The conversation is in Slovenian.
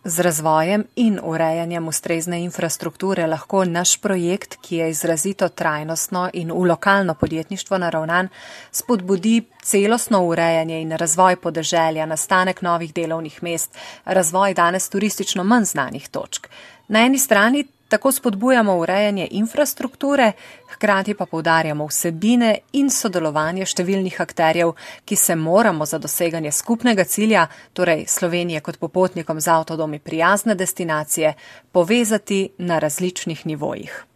Z razvojem in urejanjem ustrezne infrastrukture lahko naš projekt, ki je izrazito trajnostno in v lokalno podjetništvo naravnan, spodbudi celostno urejanje in razvoj podeželja, nastanek novih delovnih mest, razvoj danes turistično manj znanih točk. Na eni strani tako spodbujamo urejanje infrastrukture, hkrati pa poudarjamo vsebine in sodelovanje številnih akterjev, ki se moramo za doseganje skupnega cilja, torej Slovenije kot popotnikom z avtodomi prijazne destinacije, povezati na različnih nivojih.